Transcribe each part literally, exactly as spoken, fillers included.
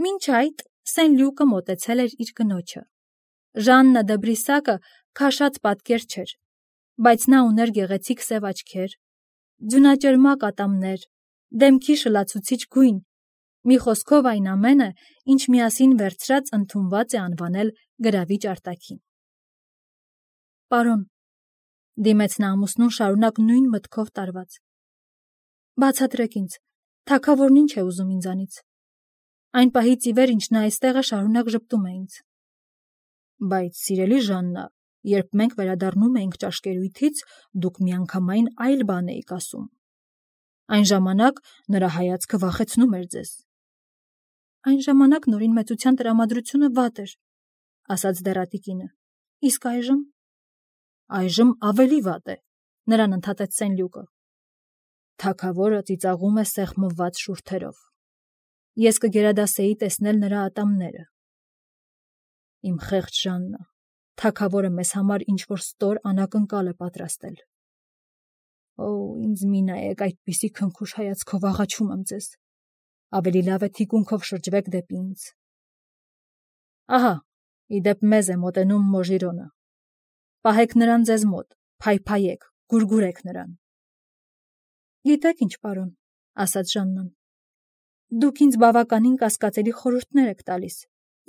Մինչ այդ Սեն Լյուկը մոտեցել էր իր կնոջը։ Ժաննա դը Բրիսակը քաշած պատկեր չէր, բայց նա ուներ գեղեցիկ սև աչքեր, ձյունաճերմակ ատամներ, դեմքի շլացուցիչ գույն, մի խոսքով այն ամենը, ինչ միասին վերցրած ընդունված է անվանել գրավիչ արտաքին։ Պարոն, դիմեց նա ամուսնուն շարունակ նույն մտքով տարված։ Բացատրեք ինձ, թագավորն ինչ է ուզում ինձանից։ Այն պահից ի վեր, ինչ նա այստեղ է, շարունակ ժպտում է ինձ։ Բայց, սիրելի Ժաննա, երբ մենք վերադառնում էինք ճաշկերույթից, դուք միանգամայն այլ բան էիք ասում։ Այն ժամանակ նրա հայացքը վախեցնում էր ձեզ։ Այն ժամանակ Նորին մեծության տրամադրությունը վատ էր, ասաց դեռատի կինը։ Իսկ այժմ։ Այժմ ավելի վատ է, նրան ընդհատեց Սեն Լյուկը։ Թագավորը ծիծաղում է սեղմված շուրթերով։ Ես կգերադասեի տեսնել նրա ատամները։ Իմ խեղճ Ժաննա, թագավորը մեզ համար ինչ-որ ստոր անակնկալ է պատրաստել։ Օ, ինձ մի նայեք, այդպիսի քնքուշ հայացքով աղաչում եմ ձեզ։ Ավելի լավ է թիկունքով շրջվեք դեպի ինձ։ Ահա, իդեպ մեզ է մոտենում Մոժիրոնը։ Պահեք նրան ձեզ մոտ, փայփայեք, գուրգուրեք նրան։ Գիտեք ինչ, պարոն, ասաց Ժաննան։ Դուք ինձ բավականին կասկածելի խորհուրդներ եք տալիս,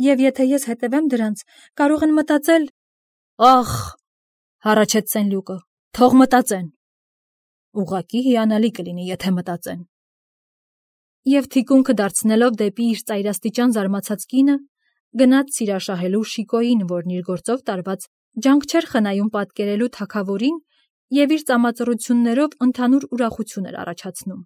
և եթե ես հետևեմ դրանց, կարող են մտածել… Ախ, հառաչեց Սեն Լյուկը, թող մտածեն։ Ուղղակի հիանալի կլինի, եթե մտածեն։ Եվ թիկունքը դարձնելով դեպի իր ծայրաստիճան զարմացած կինը, գնաց սիրաշահելու Շիկոյին, որն իր գործով տարված ջանք չէր խնայում պատկերելու թագավորին և իր ծամածռություններով ընդհանուր ուրախություն էր առաջացնում։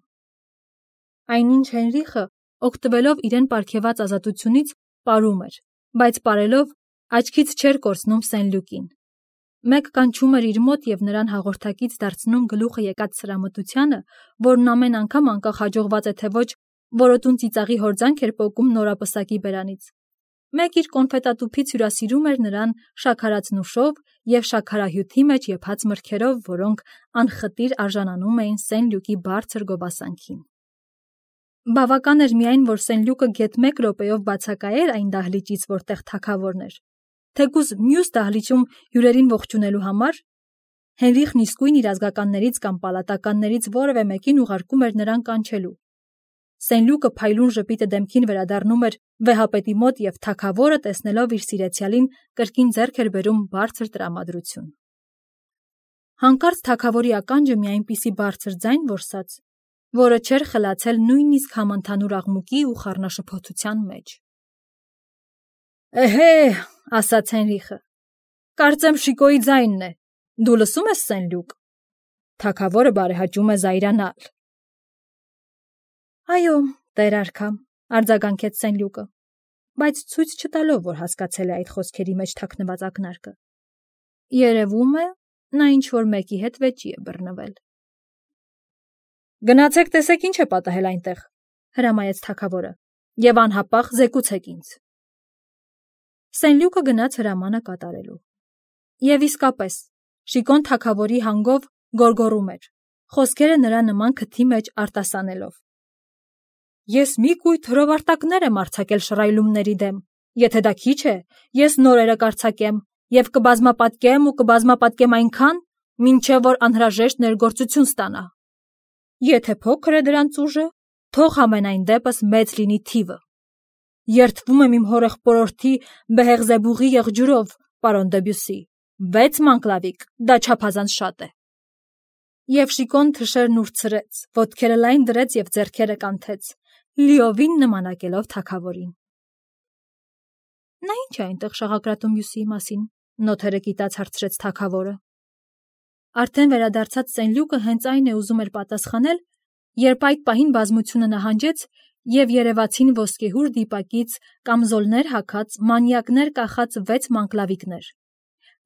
Այնինչ Հենրիխը, օգտվելով իրեն պարգևած ազատությունից, պարում էր, բայց պարելով աչքից չէր կորցնում Սեն Լյուկին։ Մեկ կանչում էր իր մոտ և նրան հաղորդակից դարձնում գլուխը եկած սրամտությանը, որն ամեն անգամ անկախ հաջողված է թե ոչ, որոտուն ծիծաղի հորձանք էր պոկում նորապսակի բերանից։ Մեկ իր կոնֆետատուփից հյուրասիրում էր նրան շաքարածնուշով և շաքարահյութի մեջ եփած մրգերով, որոնք անխտիր արժանանում էին Սեն Լյուկի բարձր գովասանքին։ Բավական էր միայն, որ Սեն Լյուկը գեթ մեկ րոպեով բացակայեր այն դահլիճից, որտեղ թագավորն էր, թեկուզ մյուս դահլիճում հյուրերին ողջունելու համար, Հենրիխն իսկույն իր ազգականներից կամ պալատականներից որևէ մեկին ուղարկում էր նրան կանչելու։ Սեն Լյուկը փայլուն ժպիտը դեմքին վերադառնում էր վեհապետի մոտ և թագավորը, տեսնելով իր սիրեցյալին, կրկին ձեռք էր բերում բարձր տրամադրություն։ Հանկարծ թագավորի ականջը մի այնպիսի բարձր ձայն որսաց, որը չէր խլացել նույնիսկ համընդհանուր աղմուկի ու խառնաշփոթության մեջ։ Էհե, ասաց Հենրիխը, կարծեմ Շիկոյի ձայնն է, դու լսում ես, Սեն Լյուկ, թագավորը բարեհաճում է զայրանալ։ Այո, տեր արքա, արձագանքեց Սեն Լյուկը, բայց ցույց չտալով, որ հասկացել է այդ խոսքերի մեջ թաքնված ակնարկը։ Երևում է, նա ինչ-որ մեկի հետ վեճի է բռնվել։ Գնացեք տեսեք ինչ է պատահել այնտեղ, հրամայեց թագավորը, և անհապաղ զեկուցեք ինձ։ Սեն Լյուկը գնաց հրամանը կատարելու։ Եվ իսկապես, Շիկոն թագավորի հանգով գոռգոռում էր, խոսքերը նրա նման քթի մեջ արտասանելով։ Ես մի կույտ հրովարտակներ եմ արձակել շռայլումների դեմ, եթե դա քիչ է, ես նորերը կարձակեմ և կբազմապատկեմ ու կբազմապատկեմ այնքան, մինչև որ անհրաժեշտ ներգործություն ստանա։ Եթե փոքր է դրանց ուժը, թող համենայն դեպս մեծ լինի թիվը։ Երդվում եմ իմ հորեղբորորդի Բեհեղզեբուղի եղջյուրով, պարոն Դեբյուսի, վեց մանկլավիկ, դա չափազանց շատ է։ Եվ Շիկոն թշերն ուրցրեց, ոտքերը լայն դրեց և ձեռքերը կանթեց, լիովին նմանակելով թագավորին։ Նա ի՞նչ է այնտեղ շաղակրատում Բյուսիի մասին, նոթերը կիտած հարցրեց թագավորը։ Արդեն վերադարձած Սեն Լյուկը հենց այն է ուզում էր պատասխանել, երբ այդ պահին բազմությունը նահանջեց և երևացին ոսկեհուր դիպակից կամզոլներ հագած, մանյակներ կախած վեց մանկլավիկներ։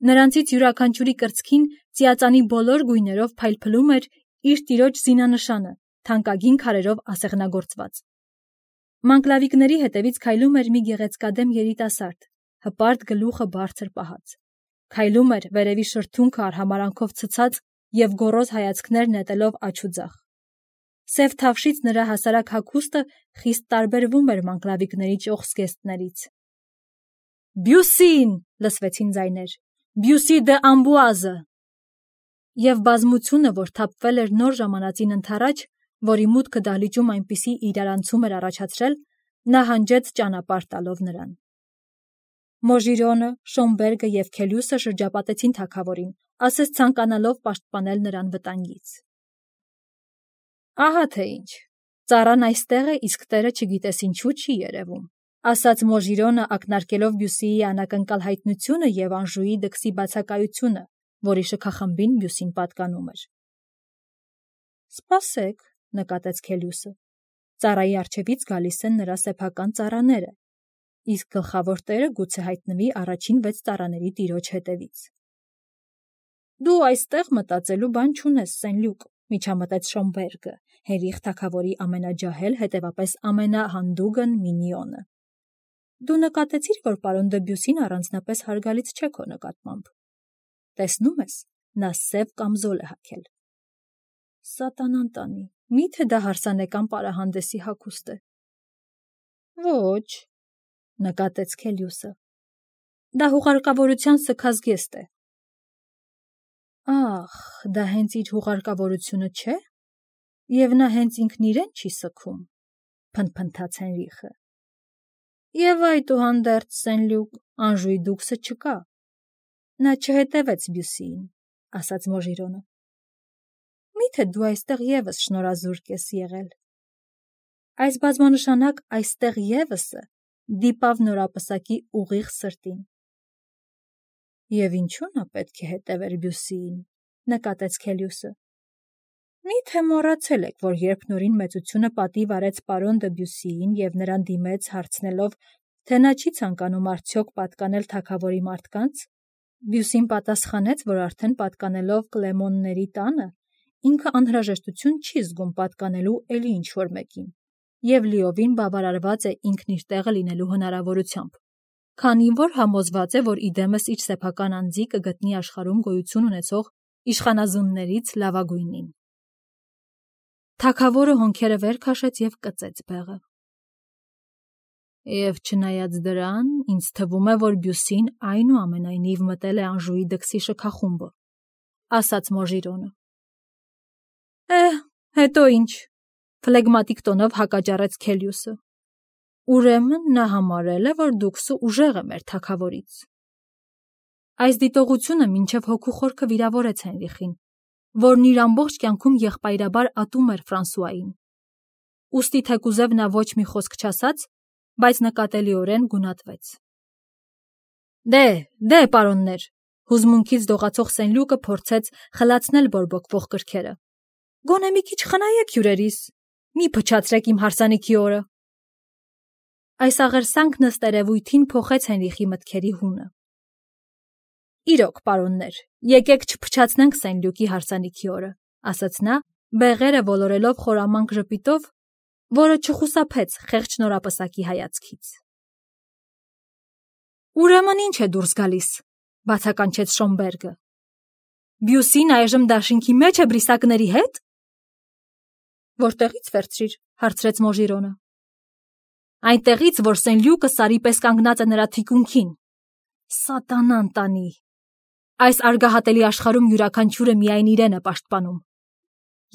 Նրանցից յուրաքանչյուրի կրծքին ծիածանի բոլոր գույներով փայլփլում էր իր տիրոջ զինանշանը, թանկագին քարերով ասեղնագործված։ Մանկլավիկների հետևից քայլում էր մի գեղեցկադեմ երիտասարդ, հպարտ գլուխը բարձր պահած։ Քայլում էր վերևի շրթունքը արհամարանքով ցցած և գոռոզ հայացքներ նետելով աջ ու ձախ։ Սև թավշից նրա հասարակ հագուստը խիստ տարբերվում էր մանկլավիկների ճոխ զգեստներից։ «Բյուսին!» լսվեցին ձայներ։ «Բյուսի դե Ամբուազը!» Եվ բազմությունը, որ թափվել էր նոր ժամանածին ընդառաջ, որի մուտքը դահլիճում այնպիսի իրարանցում էր առաջացրել, նա հանջեց ճանապարհ տալով նրան։ Մոժիրոնը, Շոմբերգը և Քելյուսը շրջապատեցին թագավորին, ասես ցանկանալով պաշտպանել նրան վտանգից։ «Ահա թե ինչ, ծառան այստեղ է, իսկ տերը չգիտես ինչու չի երևում», ասաց Մոժիրոնը, ակնարկելով Բյուսիի անակնկալ հայտնությունը և Անժուի դքսի բացակայությունը, որի շքախմբին Բյուսին պատկանում էր։ «Սպասեք», նկատեց Քելյուսը, ծառայի առջևից գալիս են նրա սեփական ծառաները, իսկ գլխավոր տերը գուցե հայտնվի առաջին վեց ծառաների տիրոջ հետևից։ «Դու այստեղ մտածելու բան չունես, Սենլյուկ», միջամտեց Շոմբերգը, հերիխ թագավորի ամենաջահել, հետևապես ամենահանդուգն մինիոնը։ «Դու նկատեցիր, որ պարոն դը Բյուսին առանձնապես հարգալից չէ քո նկատմամբ։ Տեսնում ես, նա սև կամզոլ է հագել»։ «Սատանան տանի, մի՞թե դա հարսանեկան պարահանդեսի հագուստ է»։ «Ոչ», նկատեց Քելյուսը։ «Դա հուղարկավորության սգազգեստ է»։ «Ախ, դա հենց իր հուղարկավորությունը չէ, և նա հենց ինքն իրեն չի սգում», փնթփնթաց Հենրիխը։ «Եվ այդուհանդերձ, Սենլյուկ, Անժուի դուքսը չկա։ Նա չհետևեց Բյուսիին», ասաց Մոժիրոնը։ «Մի՞թե դու այստեղ ևս շնորազուրկ ես եղել»։ Այս բազմանշանակ «այստեղ ևս»-ը դիպավ նորապսակի ուղիղ սրտին։ «Եվ ինչու նա պետք է հետևեր Բյուսիին», նկատեց Քելյուսը։ «Մի՞թե մոռացել եք, որ երբ Նորին մեծությունը պատիվ արեց պարոն դը Բյուսիին և նրան դիմեց հարցնելով, թե նա չի ցանկանում արդյոք պատկանել թագավորի մարդկանց, Բյուսին պատասխանեց, որ արդեն պատկանելով Կլեմոնների տանը, ինքը անհրաժեշտություն չի զգում պատկանելու էլի ինչ-որ մեկին, և լիովին բավարարված է ինքն իր տեղը լինելու հնարավորությամբ, քանի որ համոզված է, որ իդեմս իր սեփական անձի կգտնի աշխարհում գոյություն ունեցող իշխանազուններից լավագույնին։ Թագավորը հոնքերը վեր քաշեց և կծեց բեղը։ «Եվ չնայած դրան, ինձ թվում է, որ Բյուսին այնուամենայնիվ մտել է Անժուի դքսի շքախումբը», ասաց Մոժիրոնը։ «Էհ, հետո ինչ», ֆլեգմատիկ տոնով հակաճառեց Քելյուսը։ «Ուրեմն նա համարել է, որ դուքսը ուժեղ է մեր թագավորից»։ Այս դիտողությունը մինչև հոգու խորքը վիրավորեց Հենրիխին, որն իր ամբողջ կյանքում եղբայրաբար ատում էր Ֆրանսուային։ Ուստի թեկուզև նա ոչ մի խոսք չասաց, բայց նկատելիորեն գունատվեց։ «Դե, դե, պարոններ», հուզմունքից դողացող Սենլյուկը փորձեց խլացնել բորբոքվող կրքերը։ «Գոնե մի քիչ խնայեք հյուրերիս, մի փչացրեք իմ հարսանիքի օրը»։ Այս աղերսանքն ըստ երևույթին փոխեց Հենրիխի մտքերի հունը։ «Իրոք, պարոններ, եկեք չփչացնենք Սենլյուկի հարսանիքի օրը», ասաց նա, բեղերը ոլորելով խորամանկ ժպիտով, որը չխուսափեց խեղճ նորապսակի հայացքից։ «Ուրեմն ինչ է դուրս գալիս», բացականչեց Շոմբերգը։ «Բյուսին այժմ դաշինքի մեջ է բրիսակների հետ»։ «Որտեղից վերցրիր», հարցրեց Մոժիրոնը։ «Այնտեղից, որ Սենլյուկը սարի պես կանգնած է նրա թիկունքին»։ «Սատանան տանի, այս արգահատելի աշխարհում յուրաքանչյուրը միայն իրեն է պաշտպանում։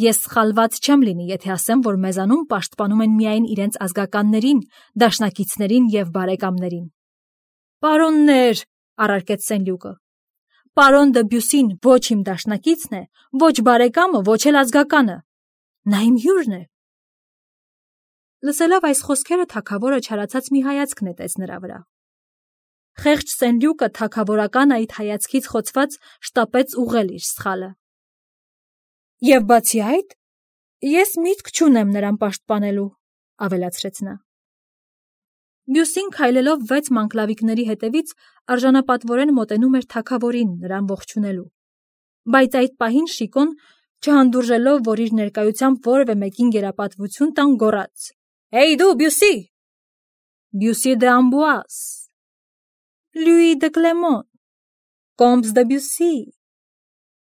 Ես սխալված չեմ լինի, եթե ասեմ, որ մեզանում պաշտպանում են միայն իրենց ազգականներին, դաշնակիցներին և բարեկամներին»։ «Պարոններ», առարկեց Սենլյուկը, «պարոն դը Բյուսին ոչ իմ դաշնակիցն է, ոչ բարեկամը, ոչ էլ ազգականը։ Նա իմ հյուրն է»։ Լսելով այս խոսքերը թագավորը չարացած մի հայացք նետեց նրա վրա։ Խեղճ Սենլյուկը թագավորական այդ հայացքից խոցված շտապեց ուղղել իր սխալը։ «Եվ բացի այդ, ես միտք չունեմ նրան պաշտպանելու», ավելացրեց նա։ Բյուսին քայլելով վեց մանկլավիկների հետևից արժանապատվորեն մոտենում էր թագավորին նրան ողջունելու, բայց այդ պահին Շիկոն, չհանդուրժելով, որ իր ներկայությամբ որևէ մեկին գերապատվություն տան, գոռաց. «Հեյ դու, Բյուսի»։ «Բյուսի դե Ամբուազ»։ «Լյուի դը Կլեմոն»։ «Կոմս դը Բյուսի»։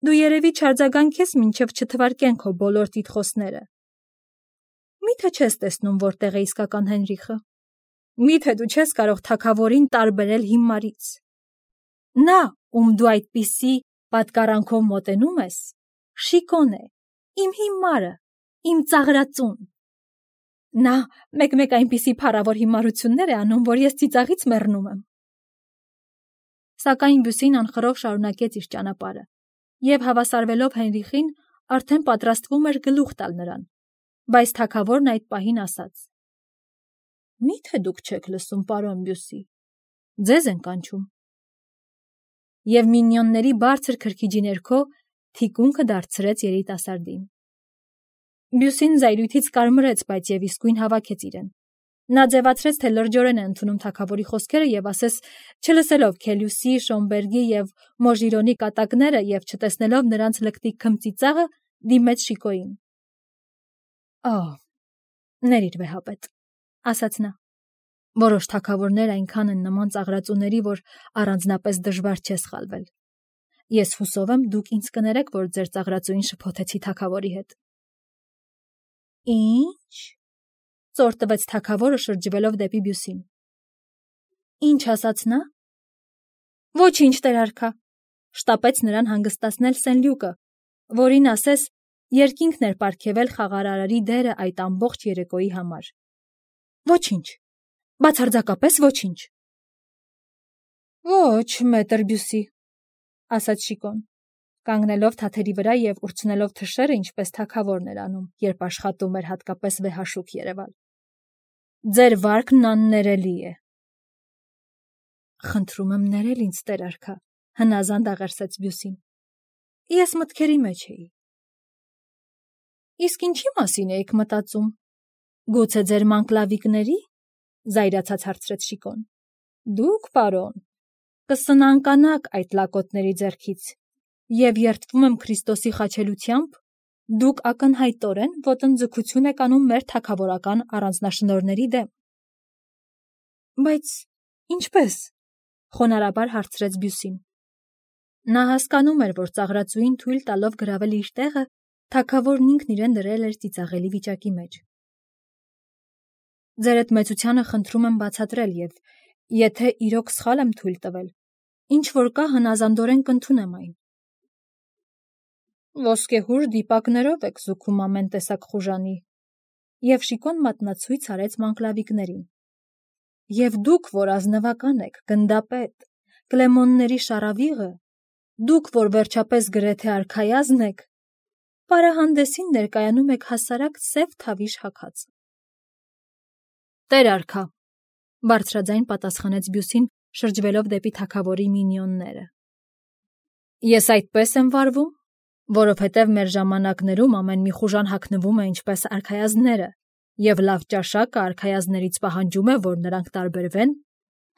Դու երևի չարձագանքես մինչև չթվարկեն քո բոլոր տիտղոսները։ Միթե չես տեսնում որտեղ է իսկական Հենրիխը։ Միթե դու չես կարող թագավորին տարբերել հիմարից։ Նա, ում դու այդպիսի պատկառանքով մոտենում ես, Շիկոն է, իմ հիմարը, իմ ծաղրածուն։ Նա մեկ-մեկ այնպիսի փառավոր հիմարություններ է անում, որ ես ծիծաղից մեռնում եմ։ Սակայն Բյուսին անխռով շարունակեց իր ճանապարհը, եւ հավասարվելով Հենրիխին, արդեն պատրաստվում էր գլուխ տալ նրան, բայց թագավորն այդ պահին ասաց. Մի՞թե դուք չեք լսում, պարոն Բյուսի, ձեզ են կանչում։ Եվ մինիոնների բարձր քրքիջի ներքո թիկունքը դարձրեց երիտասարդին։ Բյուսին զայրույթից կարմրեց, բայց եւ իսկույն հավաքեց իրեն։ Նա ձևացրեց, թե լրջորեն է ընդունում թագավորի խոսքերը եւ ասես չլսելով Քելյուսի, Շոմբերգի եւ Մոժիրոնի կատակները եւ չտեսնելով նրանց լկտի քմծիծաղը, դիմեց Շիկոյին։ Ահ, ներիր վեհապետ, ասաց նա։ Որոշ թագավորներ այնքան են նման ծաղրածուների, որ առանձնապես դժվար չէ սխալվել։ Ես հուսով եմ, դուք ինձ կներեք, որ ձեր ծաղրածուին շփոթեցի թագավորի հետ։ Ինչ։ Ծոր տվեց թագավորը շրջվելով դեպի Բյուսին։ Ինչ ասաց նա։ Ոչինչ, տեր արքա, շտապեց նրան հանգստացնել Սենլյուկը, որին ասես երկինքն էր պարգևել խաղարարարի դերը այդ ամբողջ երեկոյի համար։ Ոչինչ, բացարձակապես ոչինչ։ Ոչ, մետր Բյուսի, ասաց Շիկոն, կանգնելով թաթերի վրա եւ ուրցնելով թշերը, ինչպես թագավորն էր անում, երբ աշխատում էր հատկապես վեհաշուք երևալ։ Ձեր վարկն աններելի է։ Խնդրում եմ ներել ինձ, տեր արքա, հնազանդ աղերսեց Բյուսին։ Ես մտքերի մեջ էի։ Իսկ ինչի մասին էիք մտածում։ Գուցե ձեր մանկլավիկների, զայրացած հարցրեց Շիկոն։ Դուք, պարոն, կսնանկանաք այդ լակոտների ձեռքից, եւ երդվում եմ Քրիստոսի խաչելությամբ, դուք ակնհայտորեն ոտնձգություն եք անում մեր թագավորական առանձնաշնորհների դեմ։ Բայց ինչպես, խոնարհաբար հարցրեց Բյուսին։ Նա հասկանում էր, որ ծաղրածուին թույլ տալով գրավել իր տեղը, թագավորն ինքն իրեն դրել էր ծիծաղելի վիճակի մեջ։ Ձերդ մեծությանը խնդրում եմ բացատրել եւ եթե իրոք սխալ եմ թույլ տվել, ինչ որ կա հնազանդորեն կընդունեմ այն։ Ոսկեհուր դիպակներով եք զուգում ամեն տեսակ խուժանի, եւ Շիկոն մատնացույց արեց մանկլավիկներին։ Եվ դուք, որ ազնվական եք, գնդապետ, Կլեմոնների շարավիղը, դուք, որ վերջապես գրեթե արքայազն եք, պարահանդեսին ներկայանում եք հասարակ սև թավիշ հագած։ Տեր արքա, բարձրաձայն պատասխանեց Բյուսին, շրջվելով դեպի թագավորի մինիոնները։ Ես այդպես եմ վարվում, որովհետև մեր ժամանակներում ամեն մի խուժան հագնվում է ինչպես արքայազնները, եւ լավ ճաշակը արքայազներից պահանջում է, որ նրանք տարբերվեն,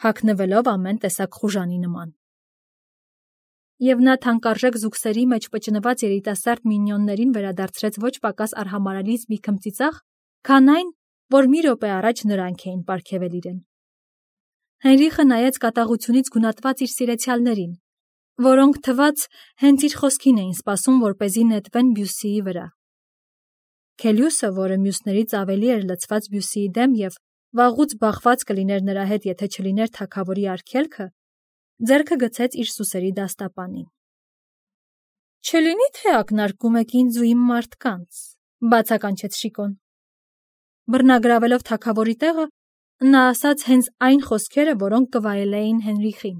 հագնվելով ամեն տեսակ խուժանի նման։ Եվ նա թանկարժեք զուգսերի մեջ պճնված երիտասարդ մինիոններին վերադարձրեց ոչ պակաս արհամարհալից մի քմծիծաղ, քան այն, որ մի րոպե առաջ նրանք էին պարգևել իրեն։ Հենրիխը նայեց կատաղությունից գունատված իր սիրեցյալներին, որոնք թված հենց իր խոսքին էին սպասում, որպեսզի նետվեն Բյուսիի վրա։ Քելյուսը, որը մյուսներից ավելի էր լցված Բյուսիի դեմ եւ վաղուց բախված կլիներ նրա հետ, եթե չլիներ թագավորի արգելքը, ձեռքը գցեց իր սուսերի դաստապանին։ Չլինի թե ակնարկում եք ինձ ու իմ մարդկանց, բացականչեց Շիկոն։ Բռնագրավելով թագավորի տեղը, նա ասաց հենց այն խոսքերը, որոնք կվայելեին Հենրիխին։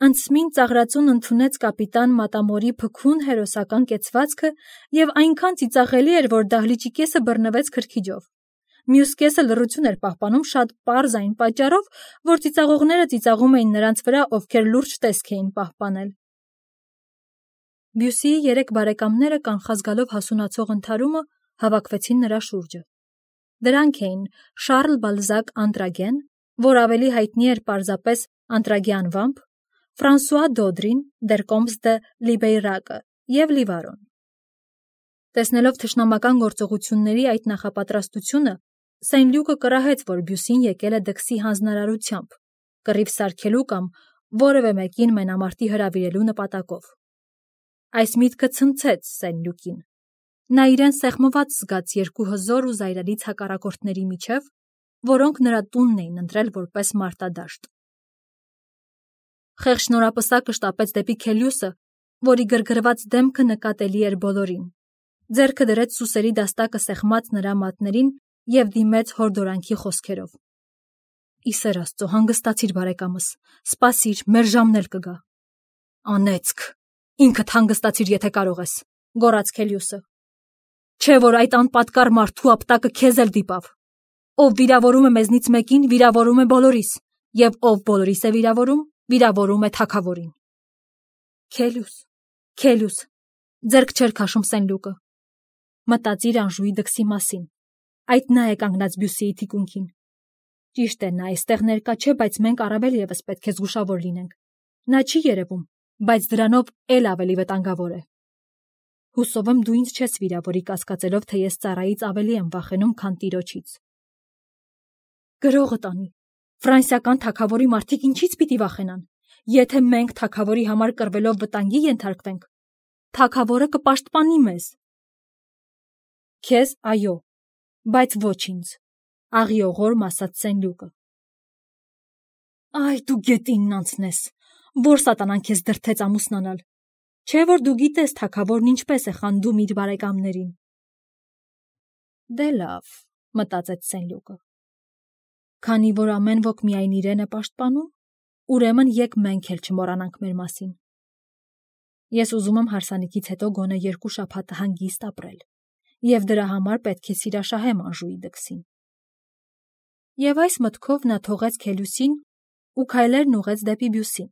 Անցմին ծաղրածուն ընդունեց կապիտան Մատամորի փքուն հերոսական կեցվածքը եւ այնքան ծիծաղելի էր, որ դահլիճի կեսը բռնվեց քրքիջով։ Մյուս կեսը լռություն էր պահպանում շատ պարզ այն պատճառով, որ ծիծաղողները ծիծաղում էին նրանց վրա, ովքեր լուրջ տեսք էին պահպանել։ Բյուսիի երեք բարեկամները կանխազգալով հասունացող ընդհարումը հավաքվեցին նրա շուրջը։ Դրանք էին Շարլ Բալզակ Անտրագեն, որ ավելի հայտնի էր պարզապես Անտրագի անվամբ, Ֆրանսուଆ Դոդրին, Դեր Կոմս դե Լիբեյրակը եւ Լիվարոն։ Տեսնելով թշնամական գործողությունների այդ նախապատրաստությունը, Սենլյուկը կռահեց, որ Բյուսին եկել է դքսի հանձնարարությամբ, կռիվ սարքելու կամ որևէ մեկին մենամարտի հրավիրելու նպատակով։ Այս միտքը ցնցեց Սենլյուկին, Նա իրեն սեղմված զգաց երկու հզոր ու զայրալից հակառակորդների միջև, որոնք նրա տունն էին ընտրել որպես մարտադաշտ։ Խեղճ նորապսակը շտապեց դեպի Քելիուսը, որի գրգռված դեմքը նկատելի էր բոլորին, ձեռքը դրեց սուսերի դաստակը սեղմած նրա մատներին և դիմեց հորդորանքի խոսքերով. «Ի սեր Աստծո, հանգստացիր, բարեկամս, սպասիր, մեր ժամն էլ կգա»։ «Անեծք, ինքդ հանգստացիր, եթե կարող ես», գոռաց Քելիուսը։ «Չէ՞ որ այդ անպատկառ մարդու ապտակը քեզ էլ դիպավ։ Ով վիրավորում է մեզնից մեկին, վիրավորում է բոլորիս, և ով բոլորիս է վիրավորում, վիրավորում է թագավորին»։ Քելիուս, Քելիուս, ձեռք չէր քաշում Սենլուկը։ Մտածիր Անժուի դքսի մասին։ Այդ նա է կանգնած Բյուսիի թիկունքին։ Ճիշտ է, նա այստեղ ներկա չէ, բայց մենք առավել ևս պետք է զգուշավոր լինենք։ Նա չի երևում, բայց դրանով էլ ավելի վտանգավոր է։ Հուսով եմ դու ինձ չես վիրավորի կասկածելով, թե ես ծառայից ավելի եմ վախենում, քան տիրոջից։ Գրողը տանի։ Ֆրանսիական թագավորի մարդիկ ինչից պիտի վախենան։ Եթե մենք թագավորի համար կռվելով վտանգի ենթարկվենք, թագավորը կպաշտպանի մեզ։ Քեզ այո, բայց ոչ ինձ, աղիողորմ ասաց Սենլուկը։ Այ դու գետինն անցնես, որ սատանան քեզ դրդեց ամուսնանալ։ Չէ՞ որ դու գիտես թագավորն ինչպես է խանդում իր բարեկամներին։ Դե լավ, մտածեց Սենլուկը։ Քանի որ ամեն ոք միայն իրեն է պաշտպանում, ուրեմն եկ մենք էլ չմոռանանք մեր մասին։ Ես ուզում եմ հարսանիքից հետո գոնե երկու շաբաթ հանգիստ ապրել, և դրա համար պետք է սիրաշահեմ Անժուի դքսին։ Եվ այս մտքով նա թողեց Քելիուսին ու քայլերն ուղղեց դեպի Բյուսին։